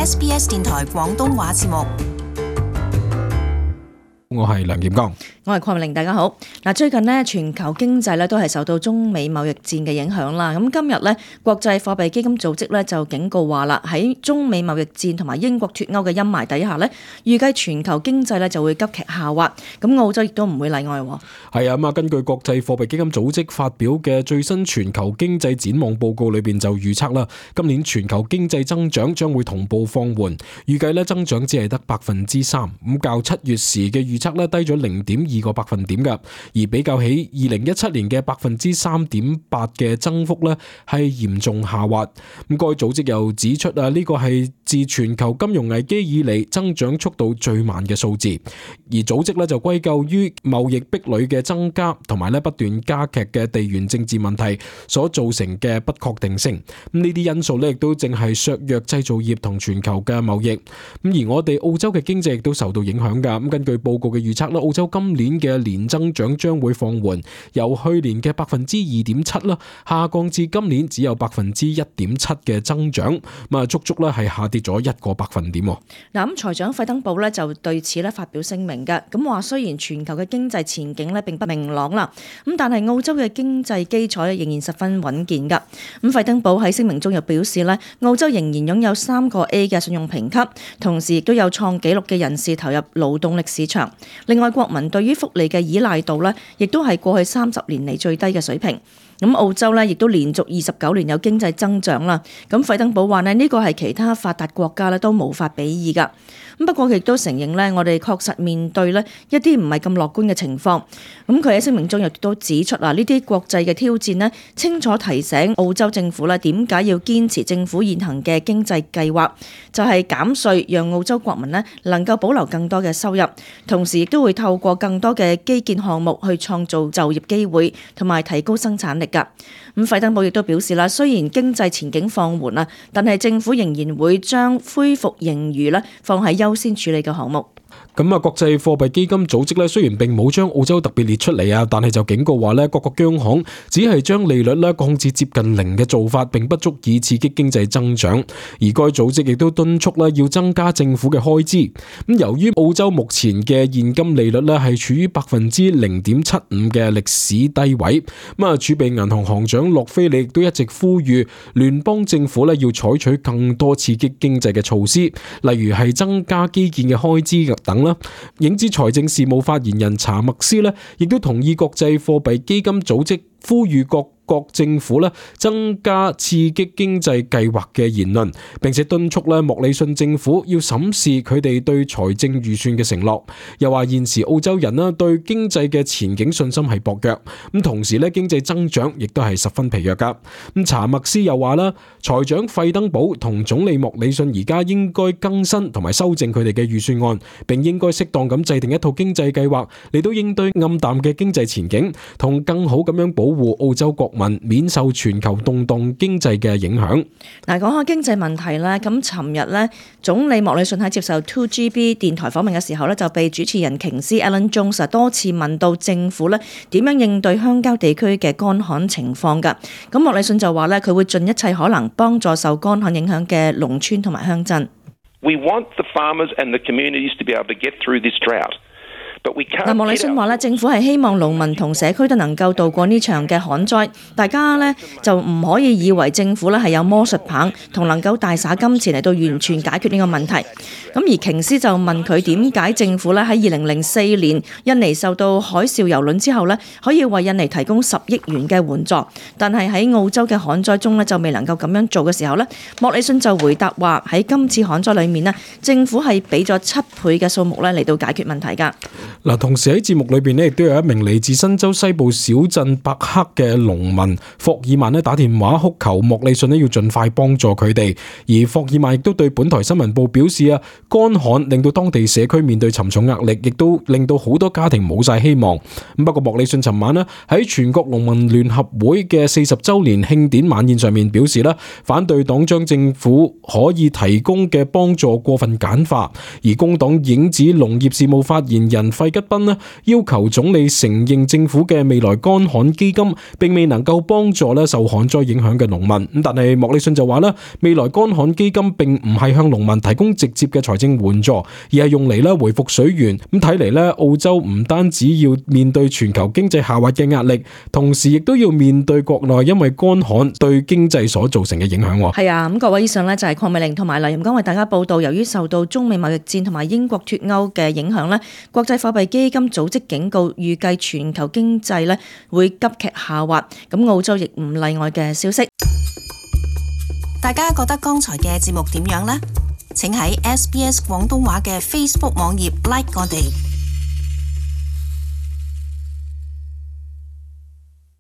SBS 電台廣東話節目。我係梁劍剛，我係鄺明玲，大家好。最近呢，全球經濟咧都係受到中美貿易戰嘅影響啦。咁今日呢，國際貨幣基金組織咧就警告話啦，喺中美貿易戰同埋英國脫歐嘅陰霾底下呢，預計全球經濟咧就會急劇下滑。咁澳洲亦都唔會例外。係啊，根據國際貨幣基金組織發表嘅最新全球經濟展望報告裏邊就預測啦，今年全球經濟增長將會同步放緩，預計咧增長只係得3%，咁較7月時嘅預測咧低咗0.2個百分點噶，而比較起2017年嘅3.8%嘅增幅咧係嚴重下滑。咁該組織又指出啊，呢個係自全球金融危機以嚟增長速度最慢嘅數字，而組織咧就歸咎於貿易壁壘嘅增加同埋咧不斷加劇嘅地緣政治問題所造成嘅不確定性。咁呢啲因素咧亦都正係削弱製造業同全球嘅貿易。咁而我哋澳洲嘅經濟亦都受到影響噶。咁根據報告嘅預測啦，澳洲今年嘅年增長將會放緩，由去年嘅2.7%啦，下降至今年只有1.7%嘅增長，足足咧係下跌咗1個百分點。咁財長費登堡咧就對此咧發表聲明嘅，咁話雖然全球嘅經濟前景咧並不明朗啦，咁但係澳洲嘅經濟基礎仍然十分穩健噶。咁費登堡喺聲明中又表示咧，澳洲仍然擁有3個 A 嘅信用評級，同時亦都有創紀錄嘅人士投入勞動力市場。另外，國民對於福利嘅依賴度咧，亦都係過去30年嚟最低嘅水平。咁澳洲咧亦都連續29年有經濟增長啦。咁費登堡話咧，呢個係其他發達國家咧都無法比擬噶。咁不過佢亦都承認咧，我哋確實面對咧一啲唔係咁樂觀嘅情況。咁佢喺聲明中亦都指出呢啲國際嘅挑戰咧，清楚提醒澳洲政府咧點解要堅持政府現行嘅經濟計劃，就係減稅，讓澳洲國民咧能夠保留更多嘅收入，同時亦都會透過更多嘅基建項目去創造就業機會，同埋提高生產力㗎。咁費登堡亦都表示啦，雖然經濟前景放緩啦，但係政府仍然會將恢復盈餘咧放喺優先處理嘅項目。咁國際貨幣基金組織咧雖然並冇將澳洲特別列出嚟啊，但係就警告話咧，各個央行只係將利率咧降至接近0嘅做法，並不足以刺激經濟增長。而該組織亦都敦促咧要增加政府嘅開支。咁由於澳洲目前嘅現金利率咧係處於0.75%嘅歷史低位，儲備銀行行長洛菲利亦都一直呼籲聯邦政府咧要採取更多刺激經濟嘅措施，例如係增加基建嘅開支等。影子財政事務發言人查默斯咧，亦都同意國際貨幣基金組織呼籲各國政府咧增加刺激經濟計劃嘅言論，並且敦促咧莫里遜政府要審視佢哋對財政預算嘅承諾。又話現時澳洲人對經濟嘅前景信心係薄弱，咁同時咧經濟增長亦都係十分疲弱噶。咁查默斯又話啦，財長費登堡同總理莫里遜而家應該更新同埋修正佢哋嘅預算案，並應該適當咁制定一套經濟計劃嚟到應對暗淡嘅經濟前景，同更好咁樣保護澳洲國民免受全球動盪經濟嘅影響。講下經濟問題咧，咁尋日咧，總理莫里遜喺接受 2GB 電台訪問嘅時候咧，就被主持人瓊斯 Alan Jones 多次問到政府咧點樣應對鄉郊地區嘅乾旱情況㗎。咁莫里遜就話咧，佢會盡一切可能幫助受乾旱影響嘅農村同埋鄉鎮。We want the farmers and the communities to be able to get through this drought.莫里遜話咧，政府係希望農民同社區都能夠渡過呢場嘅旱災，大家咧就唔可以以為政府咧係有魔術棒同能夠大灑金錢嚟到完全解決呢個問題。咁而瓊斯就問佢點解政府咧喺2004年印尼受到海嘯蹂躪之後咧，可以為印尼提供10億元嘅援助，但係喺澳洲嘅旱災中咧就未能夠咁樣做嘅時候咧，莫里遜就回答話喺今次旱災裏面咧，政府係俾咗7倍嘅數目咧嚟到解決問題㗎。同時喺節目裏邊咧，亦都有一名嚟自新州西部小鎮伯克嘅農民霍爾曼咧打電話哭求莫里遜咧要盡快幫助佢哋。而霍爾曼亦都對本台新聞部表示啊，乾旱令到當地社區面對沉重壓力，亦都令到好多家庭冇晒希望。不過莫里遜尋晚咧喺全國農民聯合會嘅40週年慶典晚宴上面表示啦，反對黨將政府可以提供嘅幫助過分簡化。而工黨影子農業事務發言人費吉賓呢要求總理承認政府嘅未來乾旱基金並未能夠幫助咧受旱災影響嘅農民。咁但係莫里遜就話咧，未來乾旱基金並唔係向農民提供直接嘅財政援助，而係用嚟咧回復水源。咁睇嚟咧，澳洲唔單止要面對全球經濟下滑嘅壓力，同時亦都要面對國內因為乾旱對經濟所造成嘅影響。係啊，咁各位以上呢就係鄺美玲同埋黎瑩剛為大家報道，由於受到中美貿易戰同埋英國脫歐嘅影響呢，國際貨幣基金組織警告，預計全球經濟呢會急劇下滑，咁澳洲亦唔例外嘅消息。大家覺得剛才嘅節目點樣呢？請喺SBS 廣東話嘅 Facebook 網頁 like 我哋。